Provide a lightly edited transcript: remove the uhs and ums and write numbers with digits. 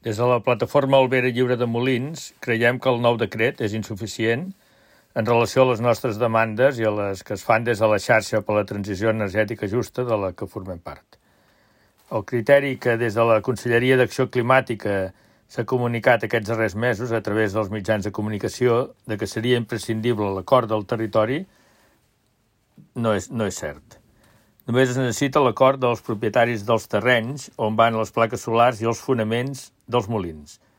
Des de la plataforma Albera Lliure de Molins, creiem que el nou decret és insuficient en relació a les nostres demandes i a les que es fan des de la xarxa per a la transició energètica justa de la que formem part. El criteri que des de la Conselleria d'Acció Climàtica s'ha comunicat aquests darrers mesos a través dels mitjans de comunicació de que seria imprescindible l'acord del territori no és cert. Només es necessita l'acord dels propietaris dels terrenys on van les plaques solars i els fonaments dels molins.